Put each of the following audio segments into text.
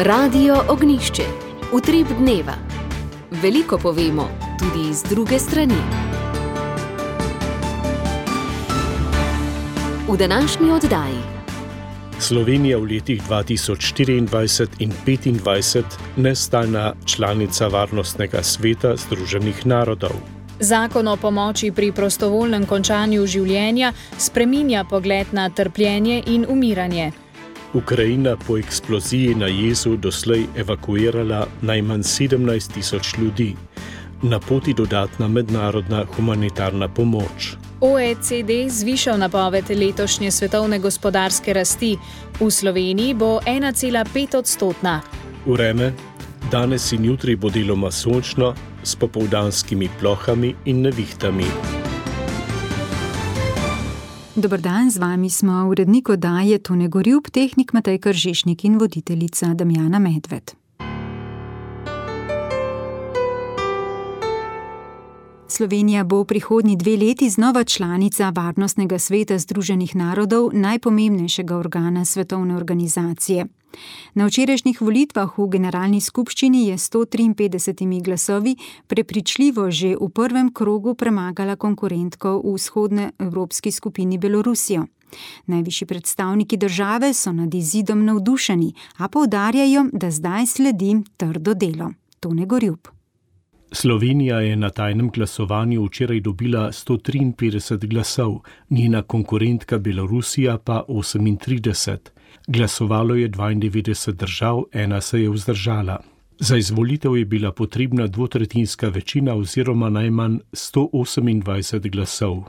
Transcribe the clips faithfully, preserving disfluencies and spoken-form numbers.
Radio Ognjišče. Utrip dneva. Veliko povemo, tudi iz druge strani. V današnji oddaji. Slovenija v letih dva tisoč štiriindvajset in petindvajset nestalna članica Varnostnega sveta Združenih narodov. Zakon o pomoči pri prostovoljnem končanju življenja spreminja pogled na trpljenje in umiranje. Ukrajina po eksploziji na jezu doslej evakuirala najmanj sedemnajst tisoč ljudi. Na poti dodatna mednarodna humanitarna pomoč. O E C D zvišal napoved letošnje svetovne gospodarske rasti. V Sloveniji bo ena cela pet odstotna. Vreme. Danes in jutri bo deloma sončno, s popoldanskimi plohami in nevihtami. Dober dan, z vami smo urednik oddaje Tone Gorjup, tehnik Matej Kržišnik in voditeljica Damjana Medved. Slovenija bo v prihodnji dve leti znova članica Varnostnega sveta Združenih narodov, najpomembnejšega organa svetovne organizacije. Na včerajšnjih volitvah v generalni skupščini je s sto triinpetdesetimi glasovi prepričljivo že v prvem krogu premagala konkurentko v vzhodnoevropski skupini Belorusijo. Najvišji predstavniki države so nad izidom navdušeni, a poudarjajo, da zdaj sledi trdo delo. Tone Gorjup. Slovenija je na tajnem glasovanju včeraj dobila sto triinpetdeset glasov, njena konkurentka Belorusija pa osemintrideset. Glasovalo je dvaindevetdeset držav, ena se je vzdržala. Za izvolitev je bila potrebna dvotretjinska večina oziroma najmanj sto osemindvajset glasov.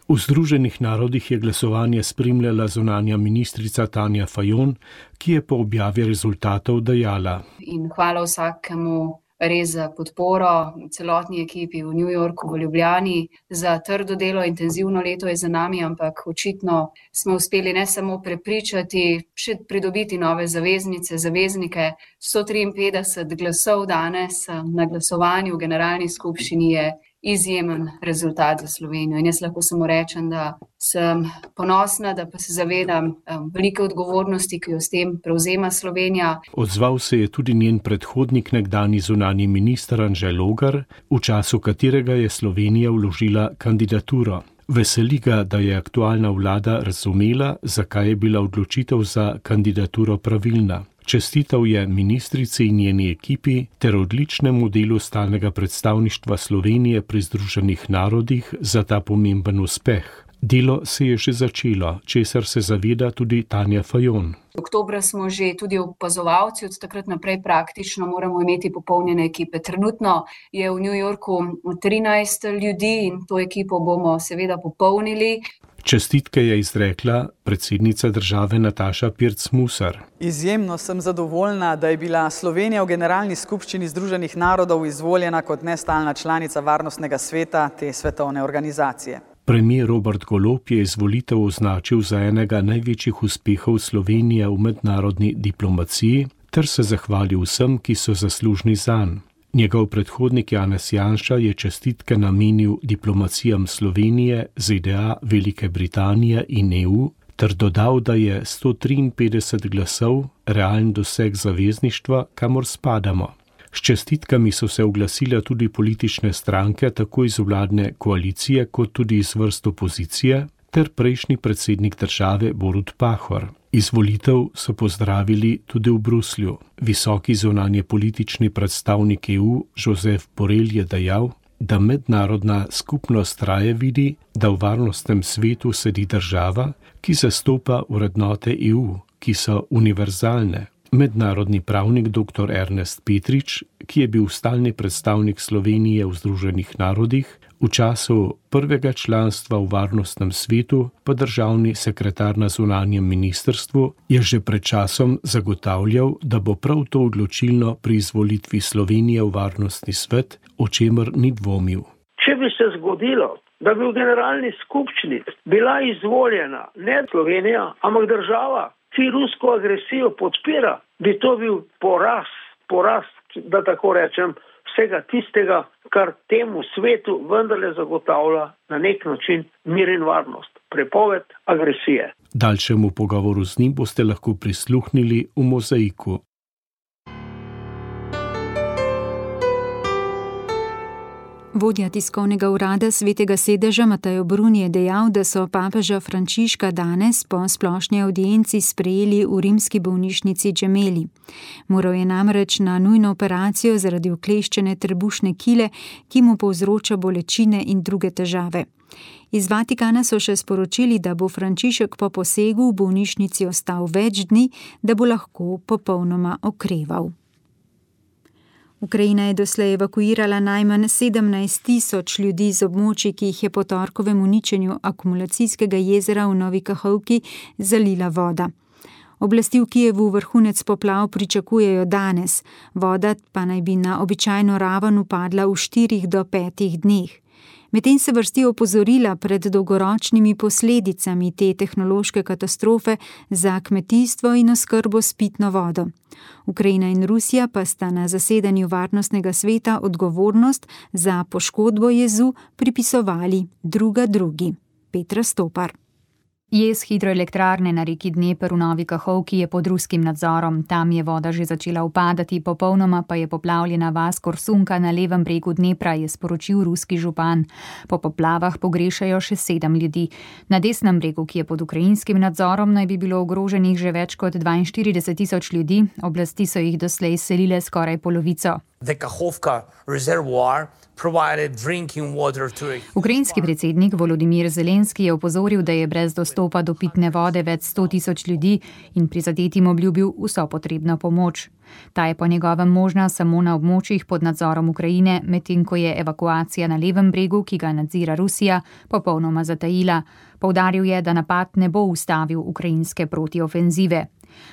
V Združenih narodih je glasovanje spremljala zunanja ministrica Tanja Fajon, ki je po objavi rezultatov dejala. In hvala vsakemu res za podporo, celotni ekipi v New Yorku, v Ljubljani. Za trdo delo, intenzivno leto je za nami, ampak očitno smo uspeli ne samo prepričati, še pridobiti nove zaveznice, zaveznike. sto triinpetdeset glasov danes na glasovanju v generalni skupščini je izjemen rezultat za Slovenijo. In jaz lahko samo rečem, da sem ponosna, da pa se zavedam um, velike odgovornosti, ki jo s tem prevzema Slovenija. Odzval se je tudi njen predhodnik, nekdanji zunanji minister Anže Logar, v času katerega je Slovenija vložila kandidaturo. Veseli ga, da je aktualna vlada razumela, zakaj je bila odločitev za kandidaturo pravilna. Čestital je ministrici in njeni ekipi ter odličnemu delu stalnega predstavništva Slovenije pri Združenih narodih za ta pomemben uspeh. Delo se je že začelo, česar se zaveda tudi Tanja Fajon. Oktobra smo že tudi opazovalci, od takrat naprej praktično moramo imeti popolnjene ekipe. Trenutno je v New Yorku trinajst ljudi in to ekipo bomo seveda popolnili. Čestitke je izrekla predsednica države Nataša Pirc Musar. Izjemno sem zadovoljna, da je bila Slovenija v generalni skupščini Združenih narodov izvoljena kot nestalna članica Varnostnega sveta te svetovne organizacije. Premier Robert Golob je izvolitev označil za enega največjih uspehov Slovenije v mednarodni diplomaciji ter se zahvalil vsem, ki so zaslužni zanj. Njegov predhodnik Janez Janša je čestitke namenil diplomacijam Slovenije, Z D A, Velike Britanije in E U ter dodal, da je sto triinpetdeset glasov realen doseg zavezništva, kamor spadamo. S čestitkami so se oglasile tudi politične stranke, tako iz vladne koalicije kot tudi iz vrst opozicije, ter prejšnji predsednik države Borut Pahor. Izvolitev so pozdravili tudi v Bruslju. Visoki zunanje politični predstavnik E U Josep Borrell je dejal, da mednarodna skupnost raje vidi, da v varnostnem svetu sedi država, ki zastopa vrednote E U, ki so univerzalne. Mednarodni pravnik dr Ernest Petrič, ki je bil stalni predstavnik Slovenije v Združenih narodih, v času prvega članstva v varnostnem svetu pa državni sekretar na zunanjem ministrstvu, je že pred časom zagotavljal, da bo prav to odločilno pri izvolitvi Slovenije v varnostni svet, o čemer ni dvomil. Če bi se zgodilo, da bi v generalni skupščini bila izvoljena ne Slovenija, ampak država, ki rusko agresijo podpira, bi to bil poraz, poraz, da tako rečem, vsega tistega, kar temu svetu vendarle zagotavlja na nek način mir in varnost. Prepoved agresije. Daljšemu pogovoru z njim boste lahko prisluhnili v Mozaiku. Vodja tiskovnega urada Svetega sedeža Mateo Bruni je dejal, da so papeža Frančiška danes po splošni avdienci sprejeli v rimski bolnišnici Gemelli. Moral je namreč na nujno operacijo zaradi ukleščene trebušne kile, ki mu povzroča bolečine in druge težave. Iz Vatikana so še sporočili, da bo Frančišek po posegu v bolnišnici ostal več dni, da bo lahko popolnoma okreval. Ukrajina je doslej evakuirala najmanj sedemnajst tisoč ljudi z območij, ki jih je po torkovem uničenju akumulacijskega jezera v Novi Kahovki zalila voda. Oblasti v Kijevu vrhunec poplav pričakujejo danes, voda pa naj bi na običajno raven upadla v štirih do petih dneh. Medtem se vrsti opozorila pred dolgoročnimi posledicami te tehnološke katastrofe za kmetijstvo in oskrbo s pitno vodo. Ukrajina in Rusija pa sta na zasedanju Varnostnega sveta odgovornost za poškodbo jezu pripisovali druga drugi. Petra Stopar. Jez hidroelektrarne na reki Dneper v Novi Kahovki je pod ruskim nadzorom. Tam je voda že začela upadati, popolnoma pa je poplavljena vas Korsunka na levem bregu Dnepra, je sporočil ruski župan. Po poplavah pogrešajo še sedem ljudi. Na desnem bregu, ki je pod ukrajinskim nadzorom, naj bi bilo ogroženih že več kot dvainštirideset tisoč ljudi. Oblasti so jih doslej selile skoraj polovico. Ukrajinski predsednik Volodimir Zelenski je opozoril, da je brez dostopa do pitne vode več sto tisoč ljudi in prizadetim obljubil vso potrebno pomoč. Ta je po njegovem možna samo na območjih pod nadzorom Ukrajine, medtem ko je evakuacija na levem bregu, ki ga nadzira Rusija, popolnoma zatajila. Poudaril je, da napad ne bo ustavil ukrajinske protiofenzive.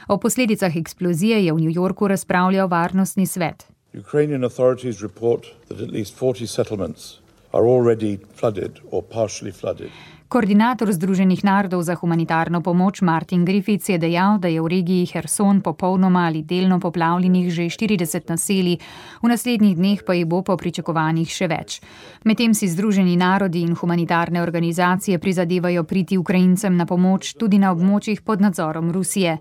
O posledicah eksplozije je v New Yorku razpravljal Varnostni svet. Ukrainian authorities report that at least forty settlements are already flooded or partially flooded. Koordinator Združenih narodov za humanitarno pomoč Martin Griffiths je dejal, da je v regiji Herson popolnoma ali delno poplavljenih že štirideset naselij, v naslednjih dneh pa jih bo po pričakovanjih še več. Medtem si Združeni narodi in humanitarne organizacije prizadevajo priti Ukrajincem na pomoč tudi na območjih pod nadzorom Rusije.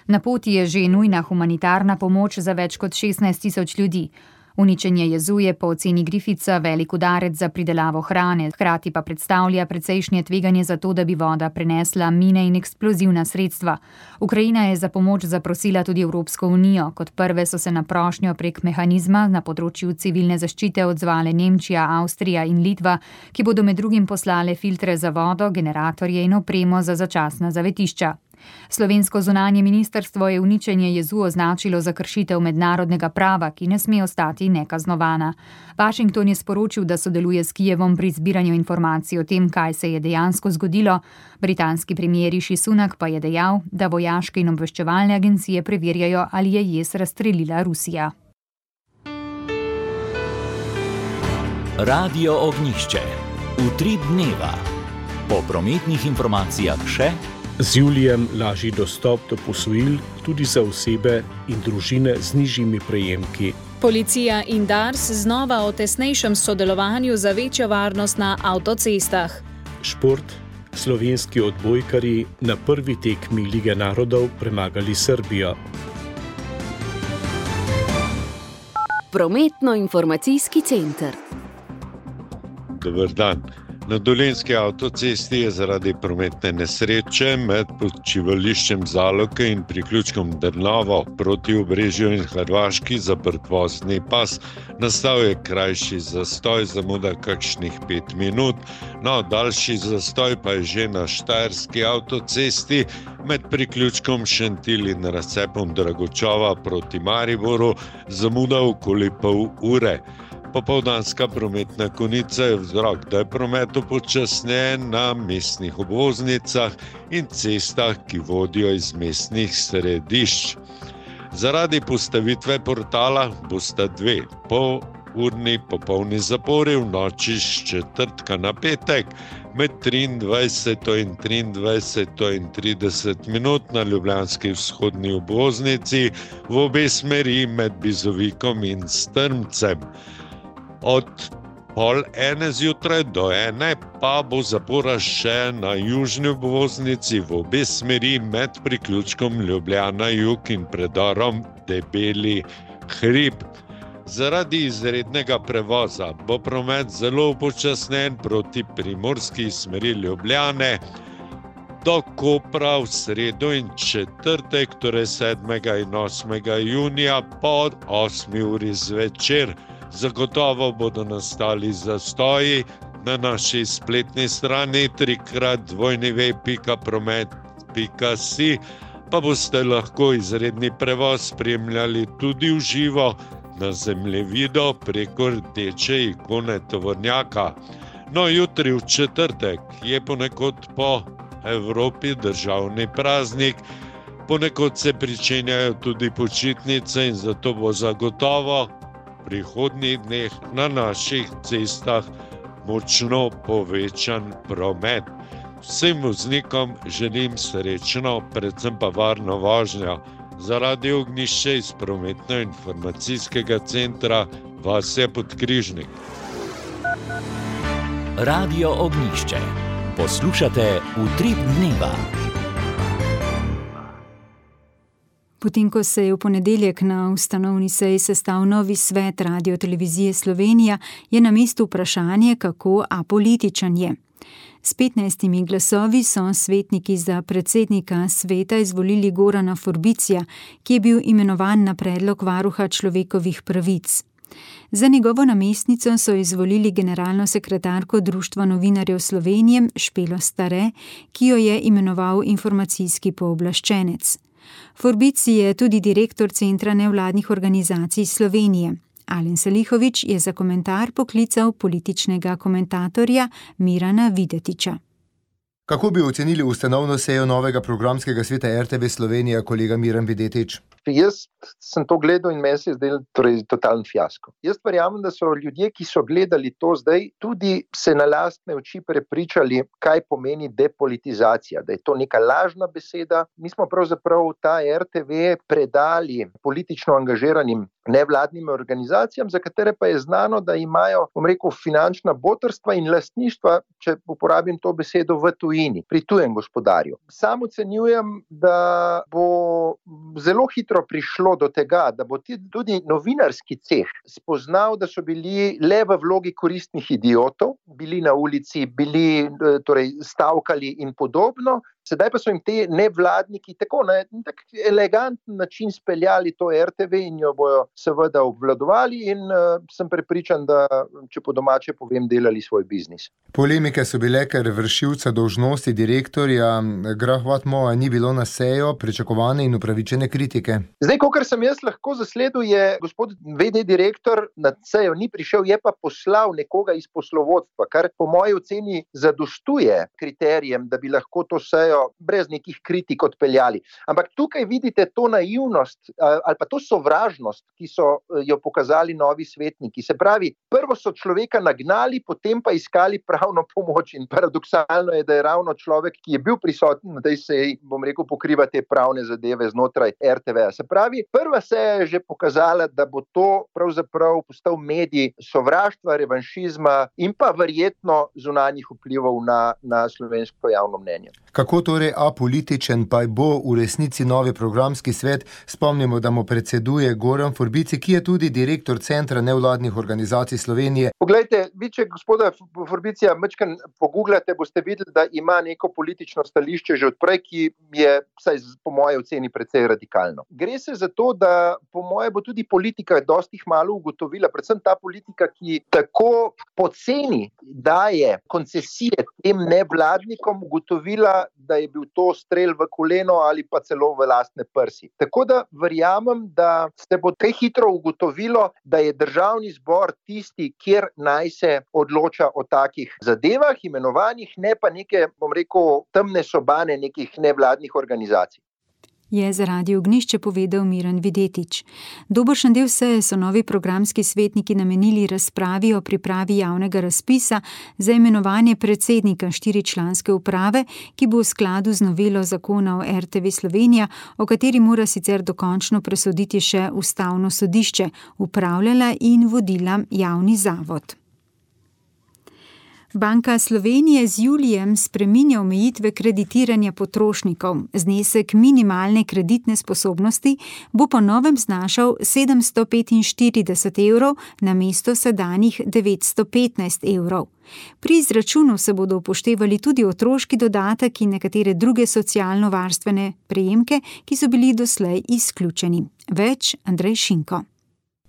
Na poti je že nujna humanitarna pomoč za več kot šestnajst tisoč ljudi. Uničenje jezu je po oceni Griffitsa velik udarec za pridelavo hrane, hkrati pa predstavlja precejšnje tveganje za to, da bi voda prenesla mine in eksplozivna sredstva. Ukrajina je za pomoč zaprosila tudi Evropsko unijo. Kot prve so se na prošnjo prek mehanizma na področju civilne zaščite odzvale Nemčija, Avstrija in Litva, ki bodo med drugim poslale filtre za vodo, generatorje in opremo za začasna zavetišča. Slovensko zunanje ministrstvo je uničenje jezu označilo za kršitev mednarodnega prava, ki ne sme ostati nekaznovana. Washington je sporočil, da sodeluje s Kijevom pri zbiranju informacij o tem, kaj se je dejansko zgodilo. Britanski premier Rishi Sunak pa je dejal, da vojaške in obveščevalne agencije preverjajo, ali je jez razstrelila Rusija. Radio Ognjišče. Utrip dneva. Po prometnih informacijah še z julijem lažji dostop do posojil tudi za osebe in družine z nižjimi prejemki. Policija in Dars znova o tesnejšem sodelovanju za večjo varnost na avtocestah. Šport. Slovenski odbojkarji na prvi tekmi Lige narodov premagali Srbijo. Prometno-informacijski center. Dober dan. Na Dolenjski avtocesti je zaradi prometne nesreče med počivališčem Zaloke in priključkom Drnovo proti Obrežju in Hrvaški zaprt vozni pas. Nastal je krajši zastoj, zamuda kakšnih pet minut, no daljši zastoj pa je že na Štajerski avtocesti med priključkom Šentilj in razcepom Dragočova proti Mariboru, zamuda okoli pol ure. Popoldanska prometna konica je vzrok, da je promet upočasnjen na mestnih obvoznicah in cestah, ki vodijo iz mestnih središč. Zaradi postavitve portala bosta dve polurni popolni zapori v noči s četrtka na petek med triindvajseto in triindvajseto in trideset minut na ljubljanski vzhodni obvoznici v obe smeri med Bizovikom in Strmcem. Od pol ene zjutraj do ene pa bo zapora še na južni obvoznici v obe smeri med priključkom Ljubljana jug in predorom Debeli hrib. Zaradi izrednega prevoza bo promet zelo upočasnjen proti primorski smeri Ljubljane do Kopra v sredo in četrtek, torej sedmega in osmega junija po osmi uri zvečer. Zagotovo bodo nastali zastoji. Na naši spletni strani trikrat dvojni ve pika promet pika si pa boste lahko izredni prevoz spremljali tudi v živo na zemljevidu preko rdeče ikone tovornjaka. No, jutri v četrtek je ponekod po Evropi državni praznik, ponekod se pričenjajo tudi počitnice in zato bo zagotovo v prihodnjih dneh na naših cestah močno povečan promet. Vsem voznikom želim srečno, predvsem pa varno vožnjo. Za Radio Ognjišče iz prometno-informacijskega centra Vasja Podkrižnik. Radio Ognjišče. Poslušate Utrip dneva. Potem, ko se je v ponedeljek na ustanovni seji sestal novi svet Radiotelevizije Slovenija, je na mestu vprašanje, kako apolitičen je. S petnajstimi glasovi so svetniki za predsednika sveta izvolili Gorana Forbicija, ki je bil imenovan na predlog varuha človekovih pravic. Za njegovo namestnico so izvolili generalno sekretarko Društva novinarjev Slovenije Špelo Stare, ki jo je imenoval informacijski pooblaščenec. Forbici je tudi direktor Centra nevladnih organizacij Slovenije. Alen Salihović je za komentar poklical političnega komentatorja Mirana Videtiča. Kako bi ocenili ustanovno sejo novega programskega sveta R T V Slovenija, kolega Miran Videtič? Jaz sem to gledal in meni se je zdel torej totalen fiasko. Jaz verjamem, da so ljudje, ki so gledali to zdaj, tudi se na lastne oči prepričali, kaj pomeni depolitizacija, da je to neka lažna beseda. Mi smo pravzaprav ta R T V predali politično angažiranim nevladnim organizacijam, za katere pa je znano, da imajo, bom rekel, finančna botrstva in lastništva, če uporabim to besedo, v tujini, pri tujem gospodarju. Sam ocenjujem, da bo zelo hitro prišlo do tega, da bo tudi novinarski ceh spoznal, da so bili le v vlogi koristnih idiotov, bili na ulici, bili torej stavkali in podobno. Sedaj pa so jim te nevladniki tako na tak eleganten način speljali to R T V in jo bojo seveda obvladovali in uh, sem prepričan, da, če po domače povem, delali svoj biznis. Polemike so bile, ker vršilca dolžnosti direktorja Grah Whatmougha ni bilo na sejo, pričakovane in upravičene kritike. Zdaj, kolikor sem jaz lahko zasledil, je gospod V D direktor na sejo ni prišel, je pa poslal nekoga iz poslovodstva, kar po moji oceni zadostuje kriterijem, da bi lahko to sejo brez nekih kritik odpeljali. Ampak tukaj vidite to naivnost ali pa to sovražnost, ki so jo pokazali novi svetniki. Se pravi, prvo so človeka nagnali, potem pa iskali pravno pomoč in paradoksalno je, da je ravno človek, ki je bil prisoten na tej seji, bom rekel, pokriva te pravne zadeve znotraj R T V. Se pravi, prva seja je že pokazala, da bo to pravzaprav postal medij sovraštva, revanšizma in pa verjetno zunanjih vplivov na, na slovensko javno mnenje. Kako torej apolitičen pa bo v resnici novi programski svet? Spomnimo, da mu predseduje Goran Forbici, ki je tudi direktor Centra nevladnih organizacij Slovenije. Poglejte, vi če gospoda Forbicija mečkan pogooglate, boste videli, da ima neko politično stališče že odprej, ki je, vsaj po moje oceni, precej radikalno. Gre se za to, da po moje bo tudi politika dosti malo ugotovila, predvsem ta politika, ki tako poceni daje koncesije tem nevladnikom, ugotovila, da je bil to strel v koleno ali pa celo v lastne prsi. Tako da verjamem, da se bo kaj hitro ugotovilo, da je državni zbor tisti, kjer naj se odloča o takih zadevah, imenovanjih, ne pa neke, bom rekel, temne sobane nekih nevladnih organizacij. Je za Radio Ognjišče povedal Miran Videtič. Dobršen del seje so novi programski svetniki namenili razpravi o pripravi javnega razpisa za imenovanje predsednika štiričlanske uprave, ki bo v skladu z novelo zakona o R T V Slovenija, o kateri mora sicer dokončno presoditi še Ustavno sodišče, upravljala in vodila javni zavod. Banka Slovenije z julijem spreminja omejitve kreditiranja potrošnikov. Znesek minimalne kreditne sposobnosti bo po novem znašal sedemsto petinštirideset evrov namesto sedanjih devetsto petnajst evrov. Pri izračunu se bodo upoštevali tudi otroški dodatek in nekatere druge socialno-varstvene prejemke, ki so bili doslej izključeni. Več Andrej Šinko.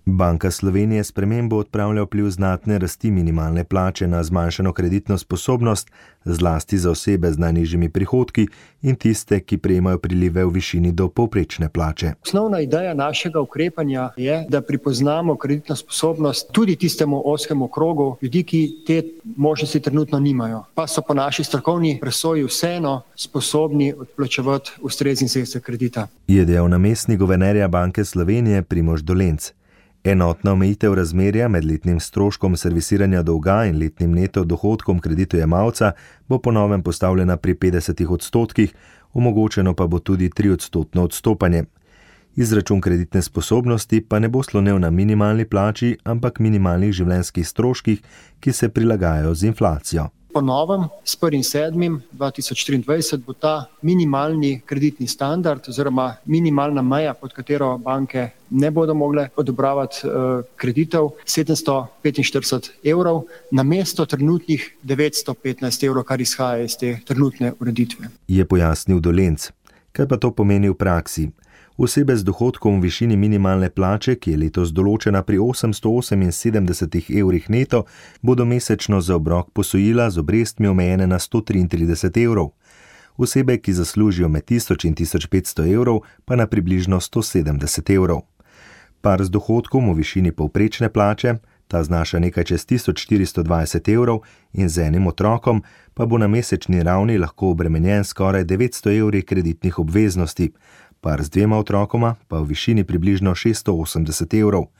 Banka Slovenije spremembo odpravlja vpliv znatne rasti minimalne plače na zmanjšano kreditno sposobnost, zlasti za osebe z najnižjimi prihodki in tiste, ki prejemajo prilive v višini do povprečne plače. Osnovna ideja našega ukrepanja je, da pripoznamo kreditno sposobnost tudi tistemu ozkemu krogu ljudi, ki te možnosti trenutno nimajo, pa so po naši strokovni presoji vseeno sposobni odplačevati ustrezni znesek kredita. Je dejal namestnik guvernerja Banke Slovenije Primož Dolenc. Enotna omejitev razmerja med letnim stroškom servisiranja dolga in letnim neto dohodkom kreditojemalca bo po novem postavljena pri petdesetih odstotkih, omogočeno pa bo tudi triodstotno odstopanje. Izračun kreditne sposobnosti pa ne bo slonel na minimalni plači, ampak minimalnih življenjskih stroških, ki se prilagajajo z inflacijo. Po novem, s prvim sedmim dva tisoč triindvajset, bo ta minimalni kreditni standard oziroma minimalna meja, pod katero banke ne bodo mogle odobravati uh, kreditov, sedemsto petinštirideset evrov, namesto trenutnih devetsto petnajst evrov, kar izhaja iz te trenutne ureditve. Je pojasnil Dolenc. Kaj pa to pomeni v praksi? Osebe z dohodkom v višini minimalne plače, ki je letos določena pri osemsto oseminsedemdeset evrih neto, bodo mesečno za obrok posojila z obrestmi omejene na sto triintrideset evrov. Osebe, ki zaslužijo med tisoč in tisoč petsto evrov, pa na približno sto sedemdeset evrov. Par z dohodkom v višini povprečne plače, ta znaša nekaj čez tisoč štiristo dvajset evrov in z enim otrokom, pa bo na mesečni ravni lahko obremenjen skoraj devetsto evri kreditnih obveznosti, par z dvema otrokoma pa v višini približno šeststo osemdeset evrov.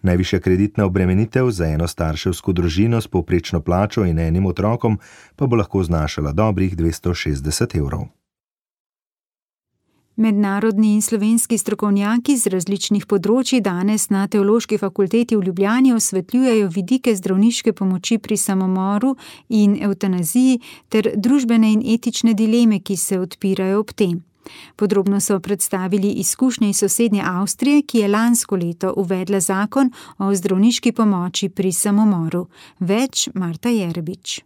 Najvišja kreditna obremenitev za eno starševsko družino s povprečno plačo in enim otrokom pa bo lahko znašala dobrih dvesto šestdeset evrov. Mednarodni in slovenski strokovnjaki z različnih področji danes na Teološki fakulteti v Ljubljani osvetljujejo vidike zdravniške pomoči pri samomoru in evtanaziji ter družbene in etične dileme, ki se odpirajo ob tem. Podrobno so predstavili izkušnje iz sosednje Avstrije, ki je lansko leto uvedla zakon o zdravniški pomoči pri samomoru. Več Marta Jerbič.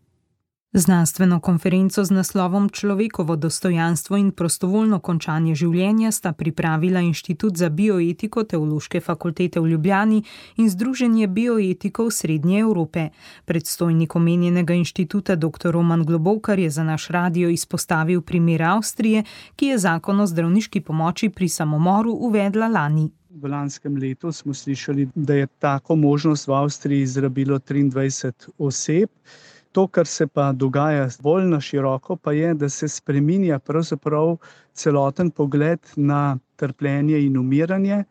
Znanstveno konferenco z naslovom Človekovo dostojanstvo in prostovoljno končanje življenja sta pripravila Inštitut za bioetiko Teološke fakultete v Ljubljani in Združenje bioetikov Srednje Evrope. Predstojnik omenjenega inštituta dr. Roman Globokar je za naš radio izpostavil primer Avstrije, ki je zakon o zdravniški pomoči pri samomoru uvedla lani. V lanskem letu smo slišali, da je tako možnost v Avstriji izrabilo triindvajset oseb. To, kar se pa dogaja bolj na široko, pa je, da se spreminja pravzaprav celoten pogled na trpljenje in umiranje.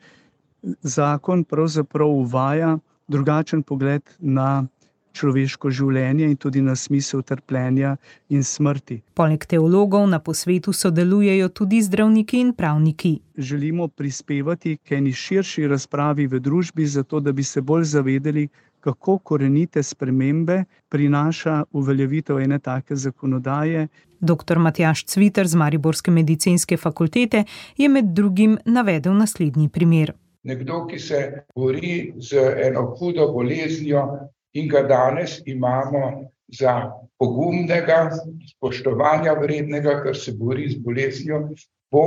Zakon pravzaprav uvaja drugačen pogled na človeško življenje in tudi na smisel trpljenja in smrti. Poleg teologov na posvetu sodelujejo tudi zdravniki in pravniki. Želimo prispevati k eni širši razpravi v družbi, zato da bi se bolj zavedali, kako korenite spremembe prinaša uveljavitev ene take zakonodaje. Doktor Matjaž Cviter z Mariborske medicinske fakultete je med drugim navedel naslednji primer. Nekdo, ki se bori z eno hudo boleznijo in ga danes imamo za pogumnega, spoštovanja vrednega, ker se bori z boleznijo, bo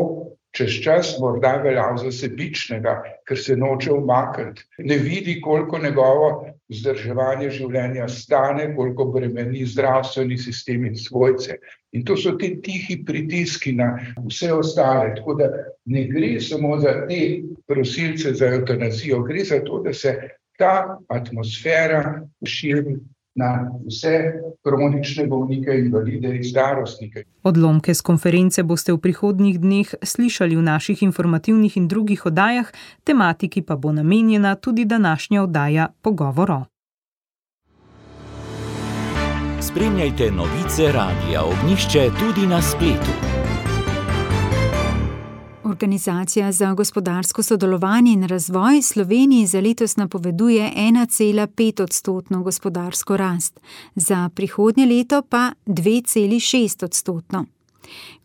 čez čas morda veljal za sebičnega, ker se noče umakniti. Ne vidi, koliko njegovo vzdrževanje življenja stane, koliko bremeni zdravstveni sistem in svojce. In to so ti tihi pritiski na vse ostale. Tako da ne gre samo za te prosilce za evtanazijo, gre za to, da se ta atmosfera širi na vse kronične bolnike, invalide in starostnike. Odlomke z konference boste v prihodnjih dneh slišali v naših informativnih in drugih oddajah, tematiki pa bo namenjena tudi današnja oddaja Pogovoro. Spremljajte novice Radia Ognjišče tudi na spletu. Organizacija za gospodarsko sodelovanje in razvoj Sloveniji za letos napoveduje ena cela pet odstotno gospodarsko rast, za prihodnje leto pa dve celi šest odstotno.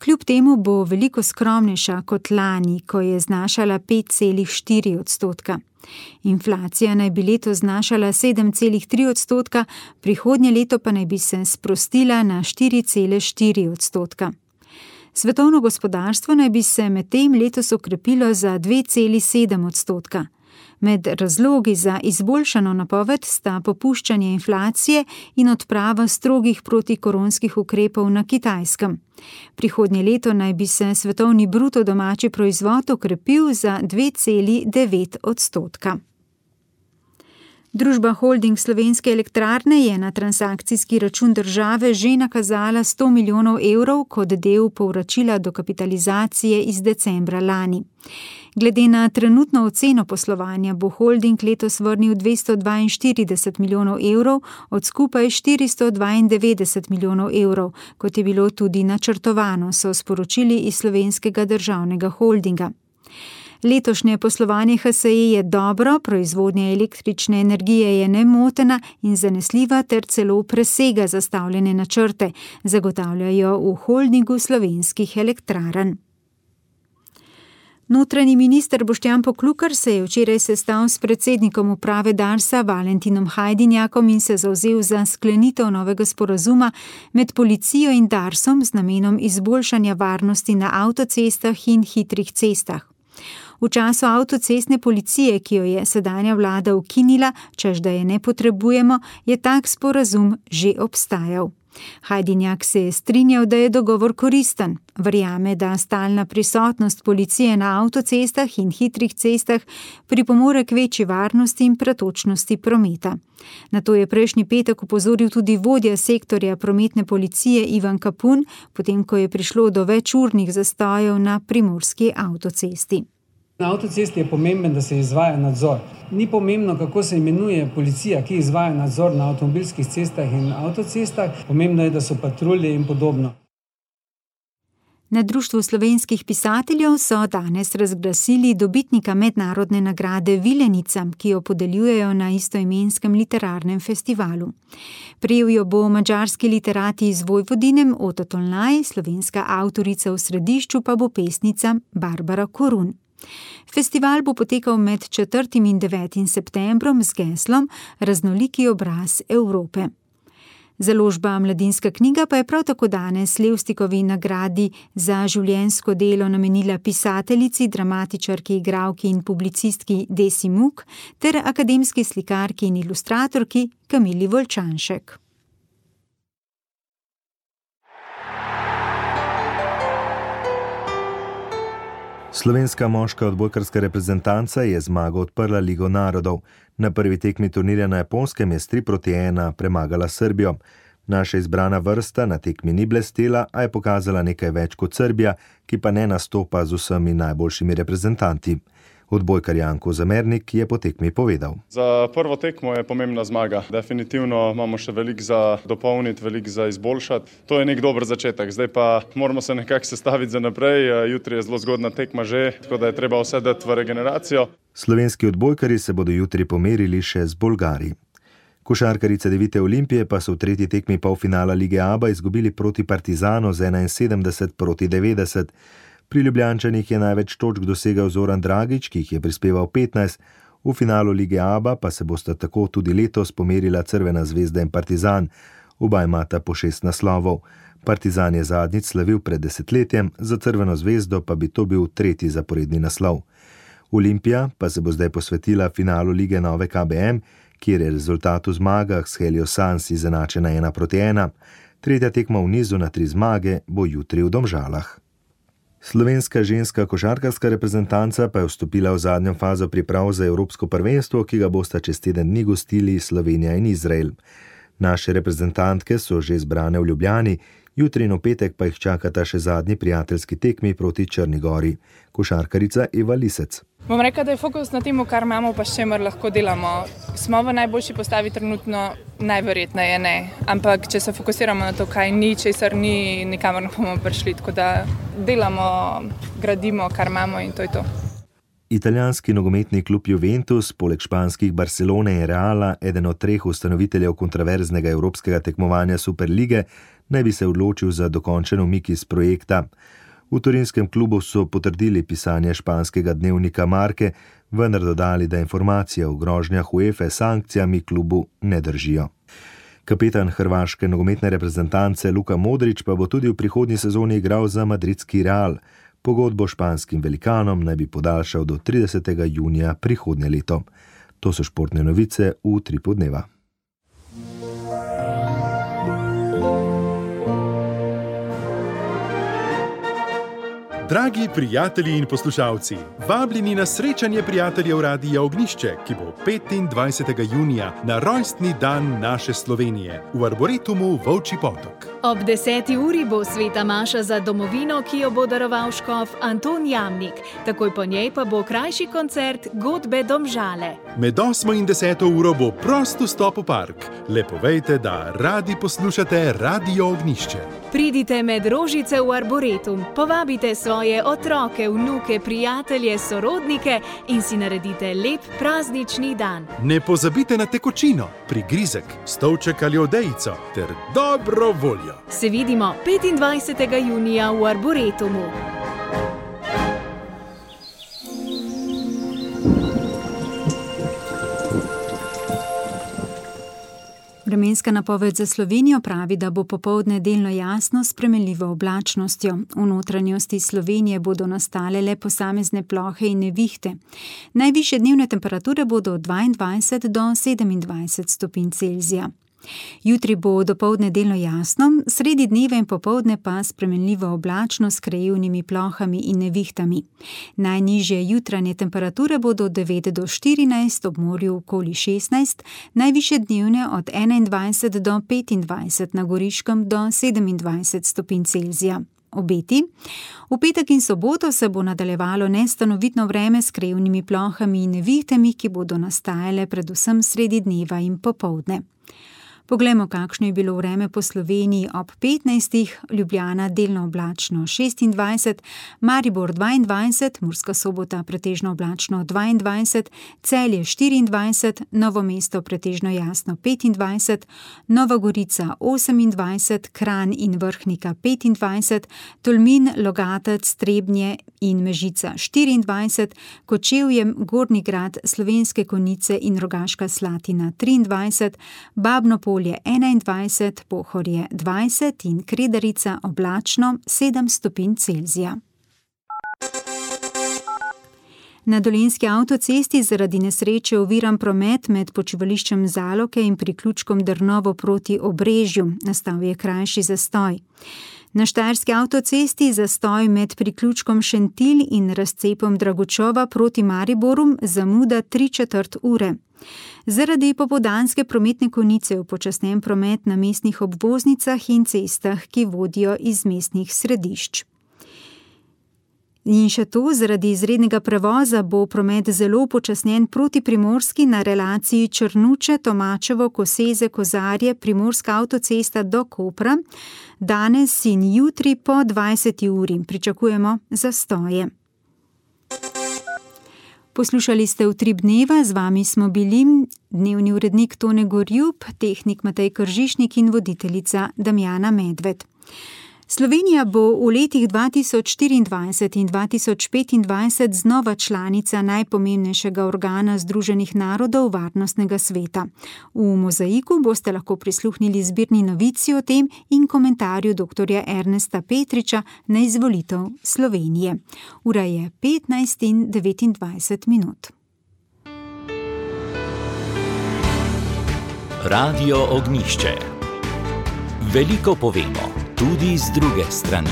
Kljub temu bo veliko skromnejša kot lani, ko je znašala pet celih štiri odstotka. Inflacija naj bi letos znašala sedem celih tri odstotka, prihodnje leto pa naj bi se sprostila na štiri cele štiri odstotka. Svetovno gospodarstvo naj bi se medtem letos okrepilo za dve celi sedem odstotka. Med razlogi za izboljšano napoved sta popuščanje inflacije in odprava strogih protikoronskih ukrepov na Kitajskem. Prihodnje leto naj bi se svetovni bruto domači proizvod okrepil za dve celi devet odstotka. Družba Holding Slovenske elektrarne je na transakcijski račun države že nakazala sto milijonov evrov kot del povračila dokapitalizacije iz decembra lani. Glede na trenutno oceno poslovanja bo holding letos vrnil dvesto dvainštirideset milijonov evrov od skupaj štiristo dvaindevetdeset milijonov evrov, kot je bilo tudi načrtovano, so sporočili iz Slovenskega državnega holdinga. Letošnje poslovanje H S E je dobro, proizvodnja električne energije je nemotena in zanesljiva ter celo presega zastavljene načrte, zagotavljajo v holdingu slovenskih elektrarn. Notranji minister Boštjan Poklukar se je včeraj sestal s predsednikom uprave Darsa Valentinom Hajdinjakom in se zavzel za sklenitev novega sporazuma med policijo in Darsom z namenom izboljšanja varnosti na avtocestah in hitrih cestah. V času avtocestne policije, ki jo je sedanja vlada ukinila, češ da je ne potrebujemo, je tak sporazum že obstajal. Hajdinjak se je strinjal, da je dogovor koristen. Verjame, da stalna prisotnost policije na avtocestah in hitrih cestah pripomore k večji varnosti in pretočnosti prometa. Na to je prejšnji petek opozoril tudi vodja sektorja prometne policije Ivan Kapun, potem ko je prišlo do večurnih zastojev na primorski avtocesti. Na avtocesti je pomemben, da se izvaja nadzor. Ni pomembno, kako se imenuje policija, ki izvaja nadzor na avtomobilskih cestah in avtocestah. Pomembno je, da so patrulje in podobno. Na Društvu slovenskih pisateljev so danes razglasili dobitnika mednarodne nagrade Vilenica, ki jo podeljujejo na istoimenskem literarnem festivalu. Prejel jo bo madžarski literati iz Vojvodine Oto Tolnaj, slovenska avtorica v središču pa bo pesnica Barbara Korun. Festival bo potekal med četrtim in devetim septembrom z geslom Raznoliki obraz Evrope. Založba Mladinska knjiga pa je prav tako danes Levstikovi nagradi za življenjsko delo namenila pisateljici, dramatičarki, igralki in publicistki Desi Muk ter akademski slikarki in ilustratorki Kamili Volčanšek. Slovenska moška odbojkarska reprezentanca je zmago odprla Ligo narodov. Na prvi tekmi turnirja na Japonskem je s tri proti ena premagala Srbijo. Naša izbrana vrsta na tekmi ni blestela, a je pokazala nekaj več kot Srbija, ki pa ne nastopa z vsemi najboljšimi reprezentanti. Odbojkar Janko Zamernik je po tekmi povedal. Za prvo tekmo je pomembna zmaga. Definitivno imamo še veliko za dopolniti, veliko za izboljšati. To je nek dober začetek. Zdaj pa moramo se nekako sestaviti za naprej. Jutri je zelo zgodna tekma že, tako da je treba vse dati v regeneracijo. Slovenski odbojkari se bodo jutri pomerili še z Bolgari. Košarkarice Devite Olimpije pa so v tretji tekmi polfinala Lige Aba izgubili proti Partizanu z enainsedemdeset proti devetdeset. Pri Ljubljančanih je največ točk dosegal Zoran Dragič, ki jih je prispeval petnajst, v finalu Lige Aba pa se bosta tako tudi letos pomerila Crvena zvezda in Partizan. Oba imata po šest naslovov. Partizan je zadnjič slavil pred desetletjem, za Crveno zvezdo pa bi to bil tretji zaporedni naslov. Olimpija pa se bo zdaj posvetila finalu Lige Nove K B M, kjer je rezultat v zmagah s Helios Sans izenačena ena proti ena. Tretja tekma v nizu na tri zmage bo jutri v Domžalah. Slovenska ženska košarkarska reprezentanca pa je vstopila v zadnjo fazo priprav za evropsko prvenstvo, ki ga bosta čez teden dni gostili Slovenija in Izrael. Naše reprezentantke so že zbrane v Ljubljani, Jutri in v petek pa jih čakata še zadnji prijateljski tekmi proti Črni Gori. Košarkarica Eva Lisec. Bom rekla, da je fokus na tem, kar imamo, pa s čemer lahko delamo. Smo v najboljši postavi trenutno, najverjetneje ne. Ampak če se fokusiramo na to, kaj ni, česar ni, nikamor ne bomo prišli. Tako da delamo, gradimo, kar imamo in to je to. Italijanski nogometni klub Juventus, poleg španskih Barcelone in Reala, eden od treh ustanoviteljev kontroverznega evropskega tekmovanja Superlige, naj bi se odločil za dokončen umik iz projekta. V turinskem klubu so potrdili pisanje španskega dnevnika Marke, vendar dodali, da informacije o grožnjah UEFA s sankcijami klubu ne držijo. Kapetan hrvaške nogometne reprezentance Luka Modrić pa bo tudi v prihodnji sezoni igral za madridski Real. Pogodbo španskim velikanom naj bi podaljšal do tridesetega junija prihodnje leto. To so športne novice v Utripu dneva. Dragi prijatelji in poslušalci, vabljeni na srečanje prijateljev Radia Ognjišče, ki bo petindvajsetega junija na rojstni dan naše Slovenije v Arboretumu Volčji Potok. Ob deseti uri bo sveta maša za domovino, ki jo bo daroval škof Anton Jamnik. Takoj po njej pa bo krajši koncert Godbe Domžale. Med osmo in deseto uro bo prost vstop v park. Le povejte, da radi poslušate Radio Ognjišče. Pridite med rožice v Arboretum, povabite svoje otroke, vnuke, prijatelje, sorodnike in si naredite lep praznični dan. Ne pozabite na tekočino, prigrizek, stolček ali odejico ter dobro voljo. Se vidimo petindvajsetega junija v Arboretumu. Vremenska napoved za Slovenijo pravi, da bo popoldne delno jasno s spremenljivo oblačnostjo. V notranjosti Slovenije bodo nastale le posamezne plohe in nevihte. Najvišje dnevne temperature bodo od dvaindvajset do sedemindvajset stopinj Celzija. Jutri bo dopoldne delno jasno, sredi dneva in popoldne pa spremenljivo oblačno s krajevnimi plohami in nevihtami. Najnižje jutranje temperature bodo od devet do štirinajst, ob morju okoli šestnajst, najvišje dnevne od enaindvajset do petindvajset, na Goriškem do sedemindvajset stopinj Celzija. Obeti. V petek in soboto se bo nadaljevalo nestanovitno vreme s krajevnimi plohami in nevihtami, ki bodo nastajale predvsem sredi dneva in popoldne. Poglejmo, kakšno je bilo vreme po Sloveniji ob petnajstih, Ljubljana delno oblačno šestindvajset, Maribor dvaindvajset, Murska Sobota pretežno oblačno dvaindvajset, Celje štiriindvajset, Novo mesto pretežno jasno petindvajset, Nova Gorica osemindvajset, Kranj in Vrhnika petindvajset, Tolmin, Logatec, Trebnje in Mežica štiriindvajset, Kočevje, Gornji Grad, Slovenske Konjice in Rogaška Slatina triindvajset, Babno Polje enaindvajset, Pohorje dvajset in Kredarica oblačno sedem stopinj Celzija. Na Dolenjski avtocesti zaradi nesreče oviran promet med počivališčem Zaloke in priključkom Drnovo proti Obrežju. Nastal je krajši zastoj. Na Štajerski avtocesti zastoj med priključkom Šentilj in razcepom Dragočova proti Mariboru, zamuda tri četrt ure. Zaradi popoldanske prometne konice upočasnjen promet na mestnih obvoznicah in cestah, ki vodijo iz mestnih središč. In še to, zaradi izrednega prevoza bo promet zelo upočasnjen proti Primorski na relaciji Črnuče, Tomačevo, Koseze, Kozarje, Primorska avtocesta do Kopra. Danes in jutri po dvajseti uri pričakujemo zastoje. Poslušali ste Utrip dneva, z vami smo bili dnevni urednik Tone Gorjub, tehnik Matej Kržišnik in voditeljica Damjana Medved. Slovenija bo v letih dva tisoč štiriindvajset in dva tisoč petindvajset znova članica najpomembnejšega organa Združenih narodov Varnostnega sveta. V Mozaiku boste lahko prisluhnili zbirni novici o tem in komentarju doktorja Ernesta Petriča na izvolitev Slovenije. Ura je petnajst in devetindvajset minut. Radio Ognjišče. Veliko povemo, tudi z druge strani.